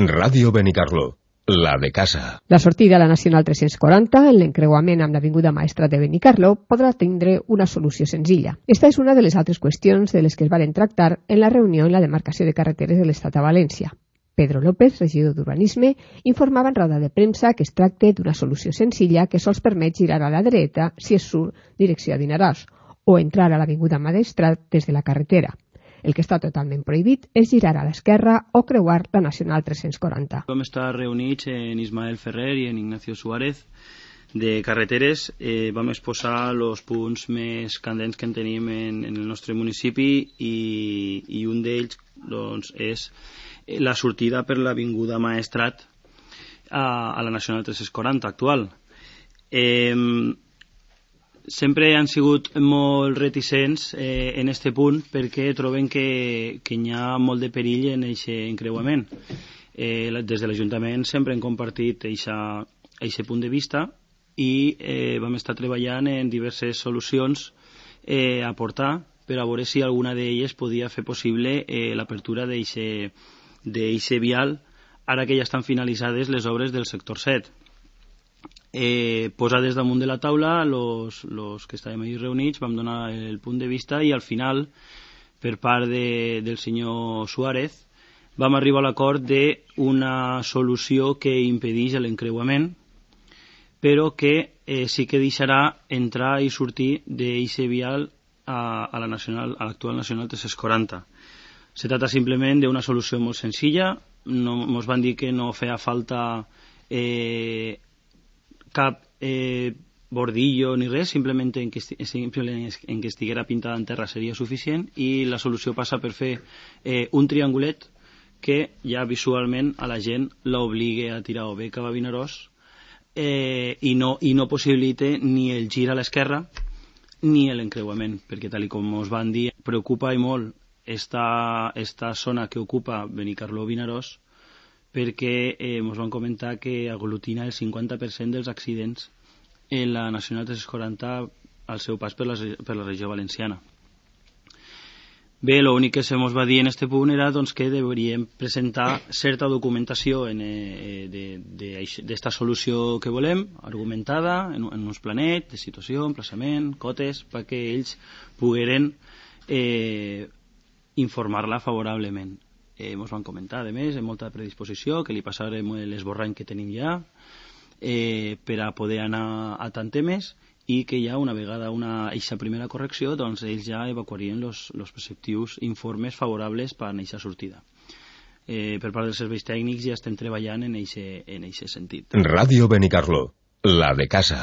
Ràdio Benicarló, la de casa. La sortida a la Nacional 340, en l'encreuament amb l'Avinguda Maestrat de Benicarló, podrà tindre una solució senzilla. Esta és una de les altres qüestions de les que es van tractar en la reunió en la demarcació de carreteres de l'Estat a València. Pedro López, regidor d'Urbanisme, informava en roda de premsa que es tracta d'una solució senzilla que sols permet girar a la dreta si es surt direcció a Vinaròs o entrar a l'Avinguda Maestrat des de la carretera. El que està totalment prohibit és girar a l'esquerra o creuar la Nacional 340. Vam estar reunits en Ismael Ferrer i en Ignacio Suárez de carreteres. Vam exposar els punts més candents que en tenim en el nostre municipi i un d'ells doncs, és la sortida per l'Avinguda Maestrat a la Nacional 340 actual. Sempre han sigut molt reticents en aquest punt perquè troben que hi ha molt de perill en aquest encreuament. Des de l'Ajuntament sempre hem compartit aquest punt de vista i vam estar treballant en diverses solucions a aportar per a veure si alguna d'elles podia fer possible l'apertura d'aquest vial ara que ja estan finalitzades les obres del sector 7. Posades damunt de la taula, los que estàvem ahí reunits vam donar el punt de vista i al final, per part del senyor Suárez, vam arribar a l'acord d'una solució que impedeix l'encreuament, però que sí que deixarà entrar i sortir d'aquest vial a l'actual Nacional 340. Se trata simplement d'una solució molt senzilla. Ens van dir que no feia falta cap bordillo ni res, simplement en que estiguera pintada en terra seria suficient i la solució passa per fer un triangulet que ja visualment a la gent l'obligue a tirar o bé cap a Vinaròs i no possibilite ni el gir a l'esquerra ni l'encreuament, perquè tal com ens van dir preocupa i molt esta zona que ocupa Benicarló-Vinaròs perquè ens van comentar que aglutina el 50% dels accidents en la Nacional 340 al seu pas per la regió valenciana. Bé, l'únic que se ens va dir en aquest punt era doncs, que hauríem presentar certa documentació d'esta solució que volem, argumentada en uns planets de situació, emplaçament, cotes, perquè ells pogueren informar-la favorablement. Ens van comentar, a més, amb molta predisposició, que li passarem l'esborrany que tenim ja per a poder anar a tant temes i que ja una vegada aquesta primera correcció doncs ells ja evacuarien els preceptius informes favorables per a aquesta sortida. Per part dels serveis tècnics ja estem treballant en aquest sentit. Ràdio Benicarló, la de casa.